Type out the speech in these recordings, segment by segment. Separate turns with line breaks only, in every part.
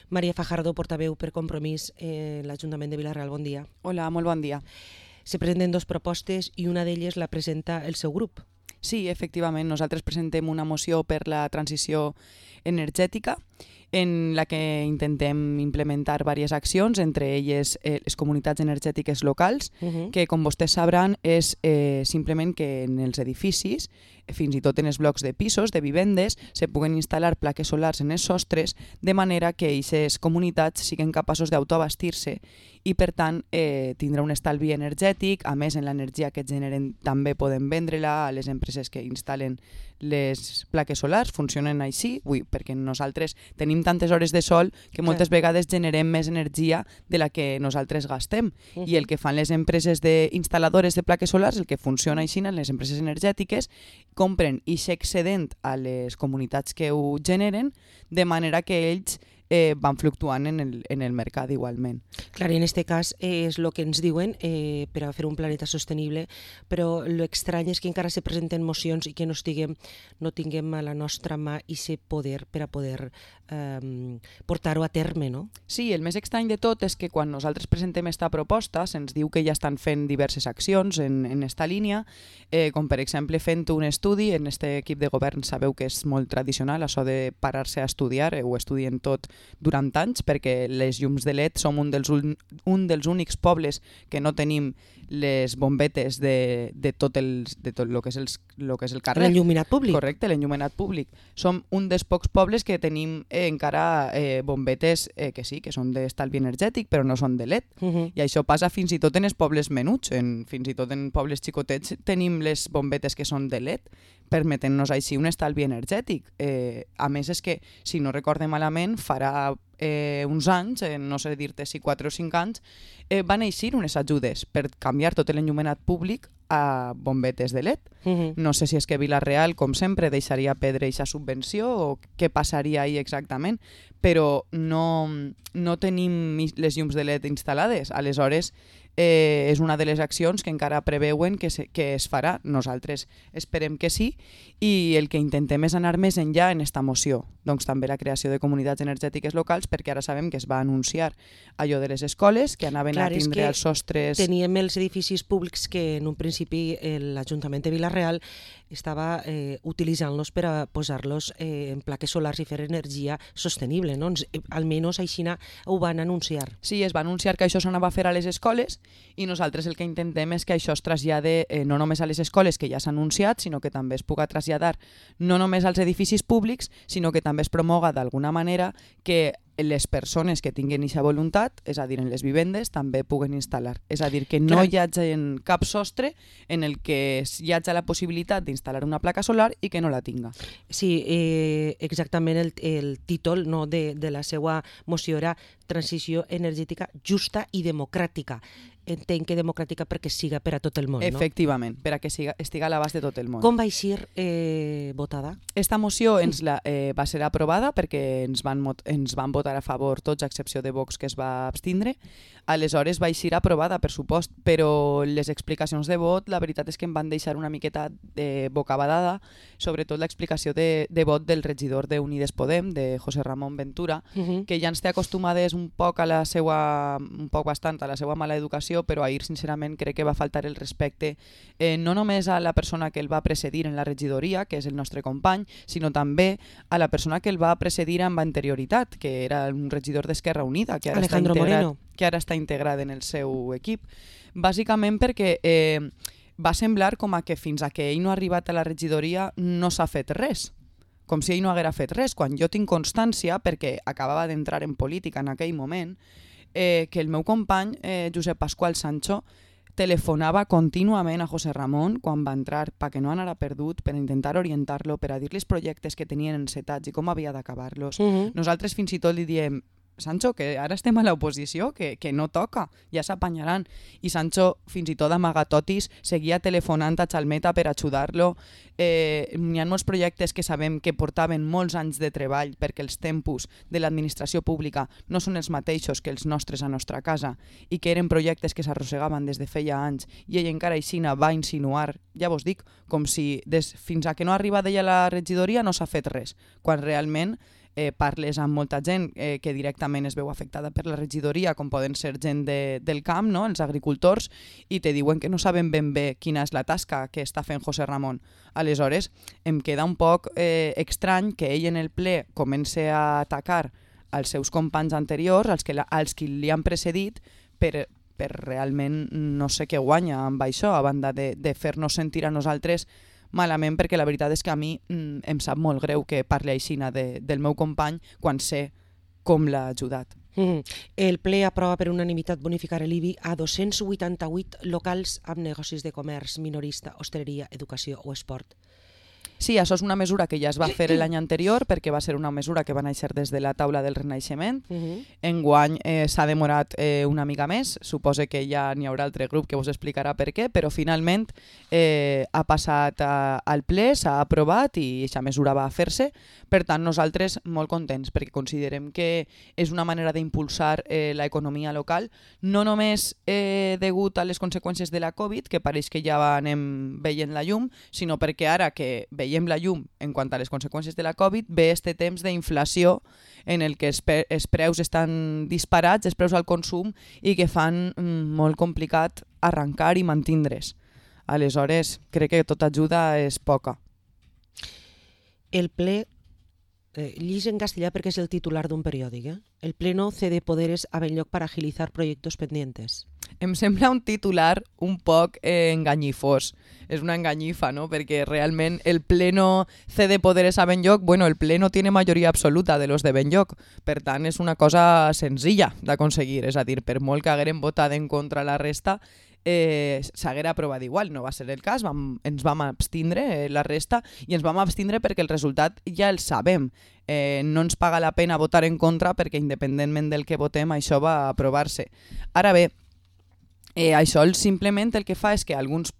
Maria Fajardo, portaveu per Compromís en l'Ajuntament de Vila-real, bon dia.
Hola, molt bon dia.
Se presenten dues propostes i una d'elles la presenta el seu grup.
Sí, efectivament, nosaltres presentem una moció per la transició energètica en la que intentem implementar diverses accions, entre elles les comunitats energètiques locals, que com vostès sabran és simplement que en els edificis, fins i tot en els blocs de pisos, de vivendes, se puguen instal·lar plaques solars en els sostres de manera que aquestes comunitats siguin capaços d'autoabastir-se i per tant tindrà un estalvi energètic. A més, en l'energia que generen també poden vendre-la a les empreses que instal·len les plaques solars, funcionen així, perquè nosaltres tenim tantes hores de sol que moltes vegades generem més energia de la que nosaltres gastem. I el que fan les empreses instal·ladores de plaques solars, el que funciona així en les empreses energètiques, compren aquest excedent a les comunitats que ho generen, de manera que ells van fluctuant en el mercat igualment.
Clar, en aquest cas és el que ens diuen per a fer un planeta sostenible, però l'estrany és que encara se presenten mocions i que no tinguem a la nostra mà aquest poder per a poder portar-ho a terme, no?
Sí, el més estrany de tot és que quan nosaltres presentem aquesta proposta se'ns diu que ja estan fent diverses accions en esta línia, com per exemple fent un estudi. En aquest equip de govern sabeu que és molt tradicional això de parar-se a estudiar, ho estudien tot durant anys, perquè les llums de LED som un dels únics pobles que no tenim les bombetes de tot el que és el carrer.
L'enlluminat públic.
Correcte, l'enlluminat públic. Som un dels pocs pobles que tenim encara bombetes que sí, que són d'estalvi energètic, però no són de LED. I això passa fins i tot en els pobles menuts. Fins i tot en pobles xicotets tenim les bombetes que són de LED, permetent-nos així un estalvi energètic. A més, és que, si no recorde malament, farà uns anys, no sé dir-te si 4 o 5 anys, van eixir unes ajudes per canviar tot l'enllumenat públic a bombetes de LED. No sé si és que Vila-real, com sempre, deixaria perdre aquesta subvenció o què passaria ahí exactament, però no tenim les llums de LED instal·lades. Aleshores, és una de les accions que encara preveuen que es farà. Nosaltres esperem que sí, i el que intentem és anar més enllà en esta moció. Doncs també la creació de comunitats energètiques locals, perquè ara sabem que es va anunciar allò de les escoles, que anaven a tindre els sostres...
Teníem els edificis públics que en un principi l'Ajuntament de Vila-real estava utilitzant-los per a posar-los en plaques solars i fer energia sostenible, no? Almenys així ho van anunciar.
Sí, es va anunciar que això s'anava a fer a les escoles, i nosaltres el que intentem és que això es trasllade no només a les escoles, que ja s'ha anunciat, sinó que també es puga traslladar no només als edificis públics, sinó que també es promoga d'alguna manera que les persones que tinguin aquesta voluntat, és a dir, en les vivendes, també puguen instal·lar. És a dir, que no hi hagi cap sostre en el que hi hagi la possibilitat d'instal·lar una placa solar i que no la tinga.
Sí, exactament el títol de la seva moció era Transició energètica justa i democràtica. Entenc que democràtica perquè siga per a tot el món, no?
Efectivament, per a que estiga a l'abast de tot el món.
Com va eixir votada?
Esta moció va ser aprovada perquè ens van votar a favor tots, a excepció de Vox, que es va abstindre. Aleshores va eixir aprovada, per supost, però les explicacions de vot, la veritat és que em van deixar una miqueta bocabadada, sobretot l'explicació de vot del regidor d'Unides Podem, de José Ramon Ventura, que ja ens té acostumades un poc bastant a la seva mala educació, però ahir sincerament crec que va faltar el respecte no només a la persona que el va precedir en la regidoria, que és el nostre company, sinó també a la persona que el va precedir amb anterioritat, que era un regidor d'Esquerra Unida, que ara està integrat en el seu equip. Bàsicament perquè va semblar com a que fins a que ell no ha arribat a la regidoria no s'ha fet res, com si ell no haguera fet res, quan jo tinc constància, perquè acabava d'entrar en política en aquell moment, que el meu company, Josep Pasqual Sancho, telefonava contínuament a José Ramon quan va entrar perquè no anara perdut, per intentar orientar-lo, per a dir-li els projectes que tenien encetats i com havia d'acabar-los. Nosaltres fins i tot li diem: Sancho, que ara estem a l'oposició, que no toca, ja s'apanyaran. I Sancho, fins i tot amagatotis, seguia telefonant a Chalmeta per ajudar-lo. N'hi ha molts projectes que sabem que portaven molts anys de treball perquè els tempos de l'administració pública no són els mateixos que els nostres a nostra casa i que eren projectes que s'arrossegaven des de feia anys, i ell encara aixina va insinuar, ja vos dic, com si fins a que no arriba d'ella a la regidoria no s'ha fet res, quan realment parles amb molta gent que directament es veu afectada per la regidoria, com poden ser gent del camp, no? Els agricultors, i te diuen que no saben ben bé quina és la tasca que està fent José Ramon. Aleshores, em queda un poc estrany que ell en el ple comenci a atacar als seus companys anteriors, als que li han precedit, per realment no sé què guanya amb això, a banda de fer-nos sentir a nosaltres malament, perquè la veritat és que a mi em sap molt greu que parli aixina del meu company quan sé com l'ha ajudat.
El ple aprova per unanimitat bonificar l'IBI a 288 locals amb negocis de comerç, minorista, hostaleria, educació o esport.
Sí, això és una mesura que ja es va fer l'any anterior, perquè va ser una mesura que va néixer des de la taula del Renaixement. Enguany s'ha demorat una mica més, suposo que ja n'hi haurà altre grup que us explicarà per què, però finalment ha passat al ple, s'ha aprovat i aquesta mesura va fer-se. Per tant, nosaltres molt contents, perquè considerem que és una manera d'impulsar l'economia local, no només degut a les conseqüències de la Covid, que pareix que ja anem veient la llum, sinó perquè ara que veiem la llum en quant a les conseqüències de la Covid, ve este temps d'inflació en el que els preus estan disparats, els preus al consum, i que fan molt complicat arrencar i mantindre's. Aleshores, crec que tota ajuda és poca.
El ple, llis en castellà perquè és el titular d'un periòdic, el Pleno cede poderes a Benlloc para agilizar proyectos pendientes.
Em sembla un titular un poc enganyifós. És una enganyifa, ¿no? Perquè realment el Pleno cede poderes a Benlloc, bueno, el Pleno tiene majoria absoluta de los de Benlloc, per tant és una cosa senzilla d'aconseguir, és a dir, per molt que hagueren votat en contra la resta, s'haguera aprovat igual, no va ser el cas, ens vam abstindre la resta, i ens vam abstindre perquè el resultat ja el sabem. No ens paga la pena votar en contra perquè independentment del que votem això va aprovar-se. Ara bé, això simplement el que fa és que alguns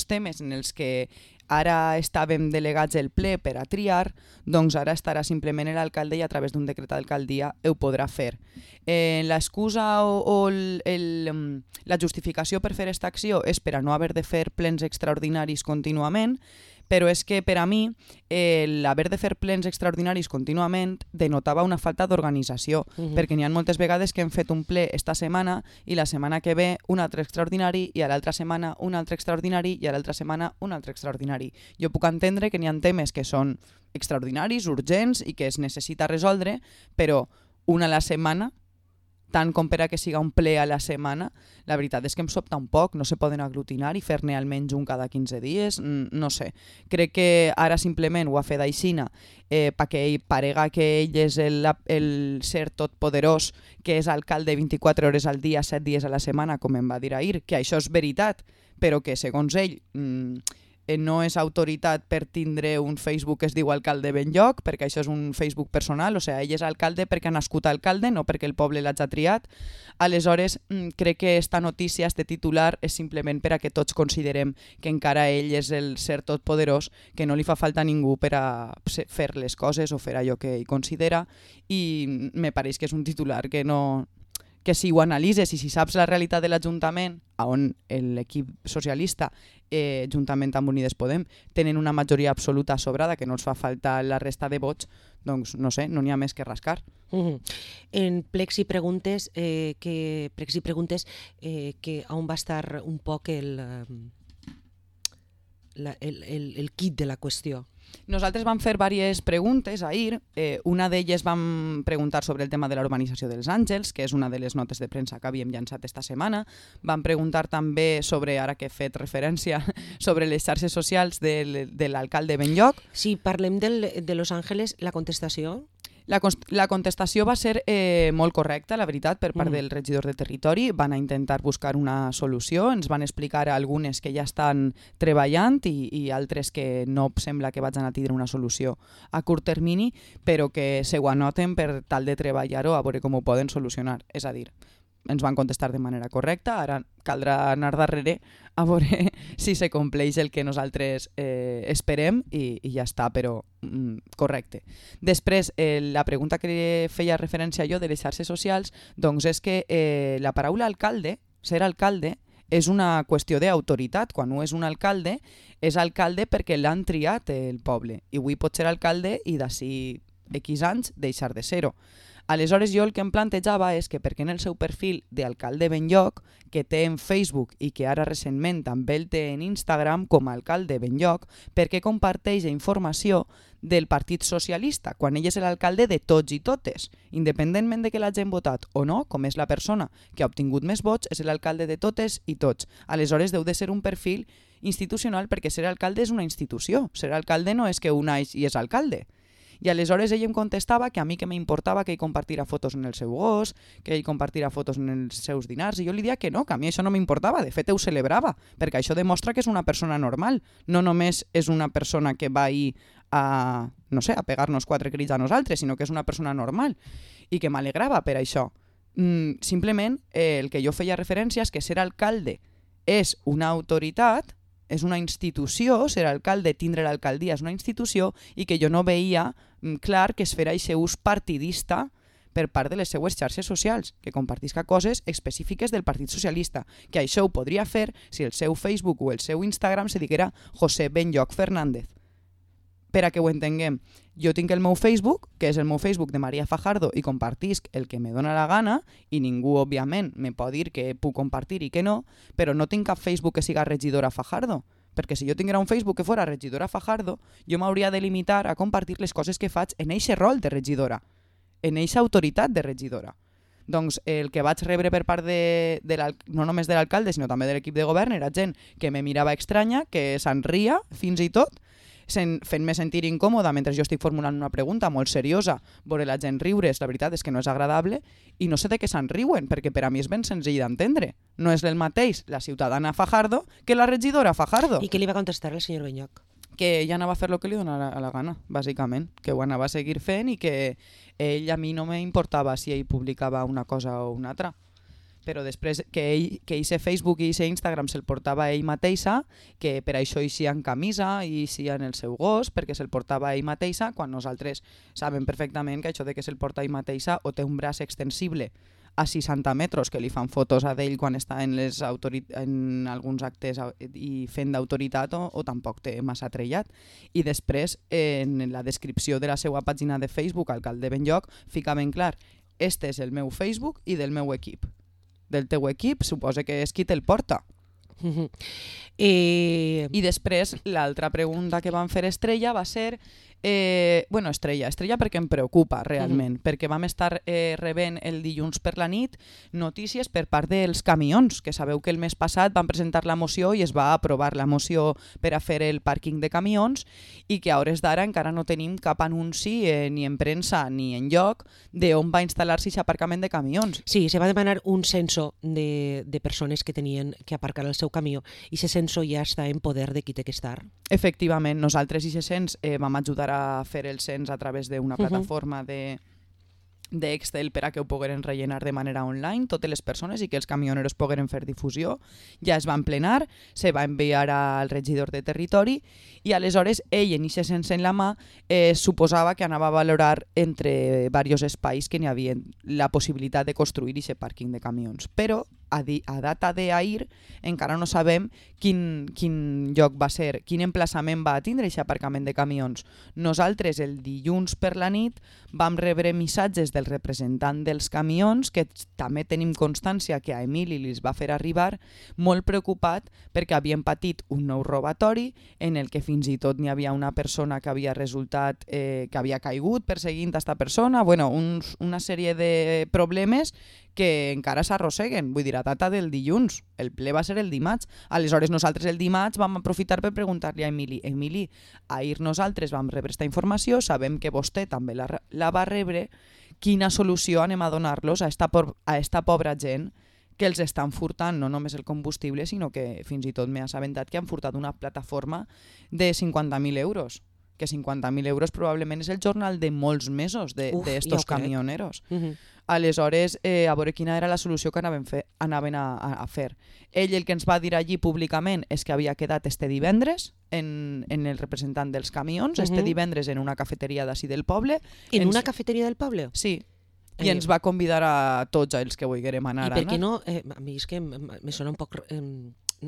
temes en els que ara estàvem delegats el ple per a triar, doncs ara estarà simplement l'alcalde i a través d'un decret d'alcaldia ho podrà fer. L'excusa o la justificació per fer aquesta acció és per a no haver de fer plens extraordinaris contínuament, però és que per a mi l'haver de fer plens extraordinaris contínuament denotava una falta d'organització, perquè n'hi ha moltes vegades que hem fet un ple esta setmana i la setmana que ve un altre extraordinari i a l'altra setmana un altre extraordinari i a l'altra setmana un altre extraordinari. Jo puc entendre que n'hi ha temes que són extraordinaris, urgents i que es necessita resoldre, però una a la setmana, tant com per a que siga un ple a la setmana, la veritat és que em sobta un poc, no se poden aglutinar i fer-ne almenys un cada 15 dies, no sé. Crec que ara simplement ho ha fet aixina perquè ell parega que ell és el ser totpoderós, que és alcalde 24 hores al dia, 7 dies a la setmana, com em va dir ahir, que això és veritat, però que segons ell no és autoritat per tindre un Facebook que es diu Alcalde Benlloc, perquè això és un Facebook personal, o sigui, ell és alcalde perquè ha nascut alcalde, no perquè el poble l'hagi triat. Aleshores, crec que esta notícia, este titular, és simplement per a que tots considerem que encara ell és el ser totpoderós, que no li fa falta a ningú per a fer les coses o fer allò que ell considera, i me pareix que és un titular que si ho analitzes i si saps la realitat de l'Ajuntament, on l'equip socialista, juntament amb Unides Podem, tenen una majoria absoluta sobrada, que no els fa falta la resta de vots, doncs no sé, no n'hi ha més que rascar.
En plecs i preguntes, que on va estar un poc el kit de la qüestió?
Nosaltres vam fer diverses preguntes ahir. Una d'elles vam preguntar sobre el tema de la urbanització dels Àngels, que és una de les notes de premsa que havíem llançat esta setmana. Vam preguntar també sobre, ara que he fet referència, sobre les xarxes socials de l'alcalde Benlloc.
Si parlem de Los Ángeles, la contestació?
La contestació va ser molt correcta, la veritat, per part del regidor de territori. Van a intentar buscar una solució, ens van explicar algunes que ja estan treballant i altres que no sembla que vagin a tindre una solució a curt termini, però que se ho anoten per tal de treballar-ho a veure com ho poden solucionar. És a dir, ens van contestar de manera correcta, ara caldrà anar darrere a veure si se compleix el que nosaltres esperem i ja està, però correcte. Després, la pregunta que feia referència jo de les xarxes socials, doncs és que la paraula alcalde, ser alcalde, és una qüestió d'autoritat. Quan no és un alcalde, és alcalde perquè l'han triat el poble. I avui pot ser alcalde i d'ací X anys deixar de ser-ho. Aleshores jo el que em plantejava és que perquè en el seu perfil d'alcalde Benlloc, que té en Facebook i que ara recentment també el té en Instagram com a alcalde Benlloc, perquè comparteix informació del Partit Socialista, quan ell és l'alcalde de tots i totes. Independentment de que l'hagin votat o no, com és la persona que ha obtingut més vots, és l'alcalde de totes i tots. Aleshores deu de ser un perfil institucional perquè ser alcalde és una institució. Ser alcalde no és que un naix i és alcalde. I aleshores ell em contestava que a mi que m'importava que ell compartira fotos en el seu gos, que ell compartira fotos en els seus dinars, i jo li deia que no, que a mi això no m'importava, de fet ho celebrava, perquè això demostra que és una persona normal, no només és una persona que va ahir a, no sé, a pegar-nos 4 crits a nosaltres, sinó que és una persona normal, i que m'alegrava per això. Simplement el que jo feia referència és que ser alcalde és una autoritat, és una institució, ser alcalde, tindre l'alcaldia és una institució, i que jo no veia clar que es fera aquest ús partidista per part de les seues xarxes socials, que compartisca coses específiques del Partit Socialista, que això ho podria fer si el seu Facebook o el seu Instagram se diguera José Benlloc Fernández. Per a que ho entenguem, jo tinc el meu Facebook, que és el meu Facebook de Maria Fajardo, i compartisc el que me dóna la gana, i ningú, òbviament, me pot dir que puc compartir i que no, però no tinc cap Facebook que siga regidora Fajardo, perquè si jo tinguera un Facebook que fora regidora Fajardo, jo m'hauria de limitar a compartir les coses que faig en eixe rol de regidora, en eixa autoritat de regidora. Doncs el que vaig rebre per part no només de l'alcalde, sinó també de l'equip de govern, era gent que me mirava estranya, que se'n ria fins i tot, fent-me sentir incòmoda mentre jo estic formulant una pregunta molt seriosa, veure la gent riure's, la veritat és que no és agradable, i no sé de què se'n riuen, perquè per a mi és ben senzill d'entendre. No és el mateix la ciutadana Fajardo que la regidora Fajardo.
I què li va contestar el senyor Benlloc?
Que ella anava a fer el que li donava la gana, bàsicament, que ho anava a seguir fent i que a mi no m'importava si ell publicava una cosa o una altra. Però després que ell Facebook i Instagram se'l portava ell mateixa, que per això eixia en camisa i eixia en el seu gos, perquè se'l portava ell mateixa, quan nosaltres sabem perfectament que això de que se'l porta ell mateixa o té un braç extensible a 60 metres que li fan fotos a d'ell quan està en alguns actes i fent d'autoritat o tampoc té massa trellat. I després, en la descripció de la seva pàgina de Facebook, alcalde Benlloc, fica ben clar, este és el meu Facebook i del meu equip. Del teu equip, suposa que és qui te'l porta. I després, l'altra pregunta que van fer Estrella va ser... Estrella perquè em preocupa realment, perquè vam estar rebent el dilluns per la nit notícies per part dels camions, que sabeu que el mes passat van presentar la moció i es va aprovar la moció per a fer el pàrquing de camions, i que a hores d'ara encara no tenim cap anunci ni en premsa ni en lloc d'on va instal·lar-se aquest aparcament de camions.
Sí, se va demanar un censo de persones que tenien que aparcar el seu camió, i aquest censo ja està en poder de qui té que estar.
Efectivament, nosaltres i aquest cens vam ajudar a fer el cens a través d'una plataforma d'Excel per a que ho pogueren rellenar de manera online totes les persones i que els camioneros pogueren fer difusió. Ja es van plenar, se va enviar al regidor de territori i aleshores ell en aquest cens en la mà suposava que anava a valorar entre diversos espais que n'hi havia la possibilitat de construir aquest pàrquing de camions. Però a data d'ahir encara no sabem quin lloc va ser, quin emplaçament va tindre aquest aparcament de camions. Nosaltres el dilluns per la nit vam rebre missatges del representant dels camions, que també tenim constància que a Emili li va fer arribar, molt preocupat perquè havien patit un nou robatori en el que fins i tot n'hi havia una persona que havia resultat que havia caigut perseguint aquesta persona, una sèrie de problemes que encara s'arrosseguen, vull dir, a data del dilluns. El ple va ser el dimarts. Aleshores nosaltres el dimarts vam aprofitar per preguntar-li a Emili, ahir nosaltres vam rebre aquesta informació, sabem que vostè també la va rebre, quina solució anem a donar-los a esta pobra gent que els estan furtant no només el combustible, sinó que fins i tot m'he assabentat que han furtat una plataforma de 50.000 euros. Que 50.000 euros probablement és el jornal de molts mesos d'estos camioneros. Aleshores, a veure quina era la solució que anaven a fer. Ell el que ens va dir allí públicament és que havia quedat este divendres en el representant dels camions, este divendres en una cafeteria d'ací del poble.
En una cafeteria del poble?
Sí. I ens va convidar a tots els que volguérem anar.
I per què no? A mi és que me sona un poc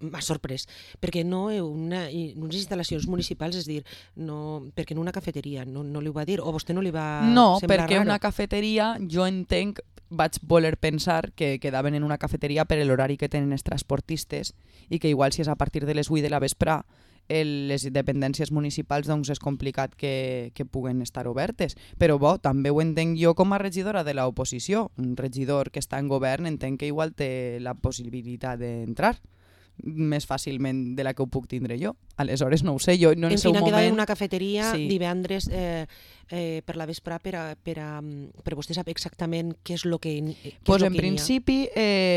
m'ha sorprès, perquè no unes instal·lacions municipals, és dir, no, perquè en una cafeteria no li ho va dir, o a vostè no li va
No,
semblar
perquè
raro?
una cafeteria, jo entenc, vaig voler pensar que quedaven en una cafeteria per l'horari que tenen els transportistes i que igual si és a partir de les 8 de la vespre les dependències municipals doncs és complicat que puguen estar obertes. Però bo, també ho entenc jo com a regidora de l'oposició. Un regidor que està en govern entenc que igual té la possibilitat d'entrar més fàcilment de la que ho puc tindre jo. Aleshores no ho sé, jo no en el seu
quedava en
moment...
una cafeteria
Sí.
divendres per la vespre per vostè saber exactament què és el que
Pues en principi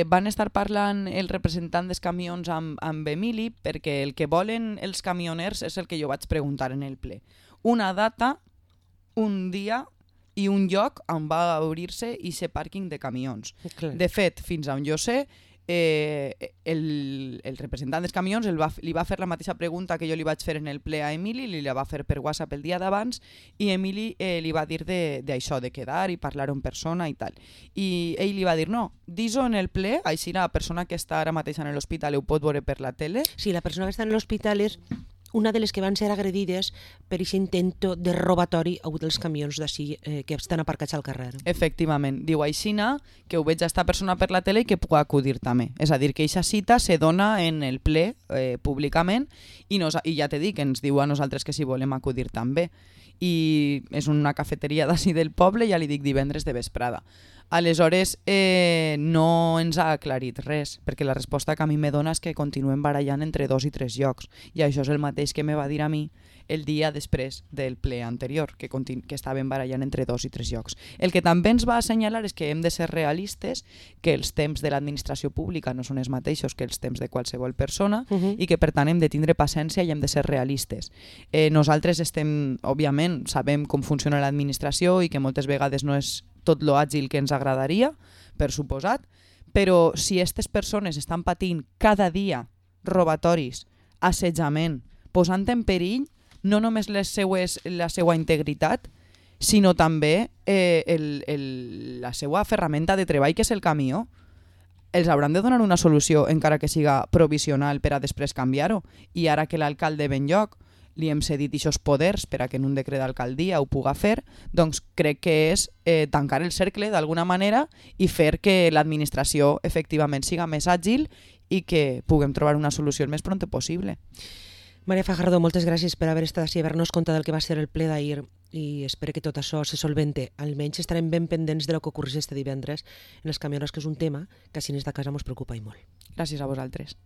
van estar parlant el representant dels camions amb Emili, perquè el que volen els camioners és el que jo vaig preguntar en el ple. Una data, un dia i un lloc on va obrir-se aquest pàrquing de camions.
Clar.
De fet, fins on jo sé, el representant dels camions li va fer la mateixa pregunta que jo li vaig fer en el ple a Emili, li la va fer per WhatsApp el dia d'abans i Emili li va dir d'això, de quedar i parlar en persona i tal. I ell li va dir, no, dis-ho en el ple, així la persona que està ara mateix en l'hospital ho pot veure per la tele.
Sí, la persona que està en l'hospital és una de les que van ser agredides per aquest intento de robatori a un dels camions d'ací que estan aparcats al carrer.
Efectivament, diu aixina que ho veig a esta persona per la tele i que pugui acudir també. És a dir, que aquesta cita se dona en el ple públicament i ja t'he dit que ens diu a nosaltres que si volem acudir també. I és una cafeteria d'ací del poble, ja li dic divendres de vesprada. Aleshores no ens ha aclarit res, perquè la resposta que a mi me dona és que continuem barallant entre 2 i 3 llocs, i això és el mateix que me va dir a mi el dia després del ple anterior, que estaven barallant entre 2 i 3 llocs. El que també ens va assenyalar és que hem de ser realistes, que els temps de l'administració pública no són els mateixos que els temps de qualsevol persona, i que per tant hem de tindre paciència i hem de ser realistes. Nosaltres òbviament, sabem com funciona l'administració i que moltes vegades no és tot lo àgil que ens agradaria, per suposat, però si aquestes persones estan patint cada dia robatoris, assetjament, posant en perill no només la seva integritat, sinó també la seva ferramenta de treball, que és el camió, els hauran de donar una solució, encara que siga provisional, per a després canviar-ho. I ara que l'alcalde ve en lloc, li hem cedit aquests poders per a que en un decret d'alcaldia ho puga fer, doncs crec que és tancar el cercle d'alguna manera i fer que l'administració efectivament siga més àgil i que puguem trobar una solució el més pront possible.
Maria Fajardo, moltes gràcies per haver estat així, haver-nos contat del que va ser el ple d'ahir i espero que tot això se solvente. Almenys estarem ben pendents de lo que ocorreix este divendres en els camioners, que és un tema que si n'és de casa ens preocupa i molt.
Gràcies a vosaltres.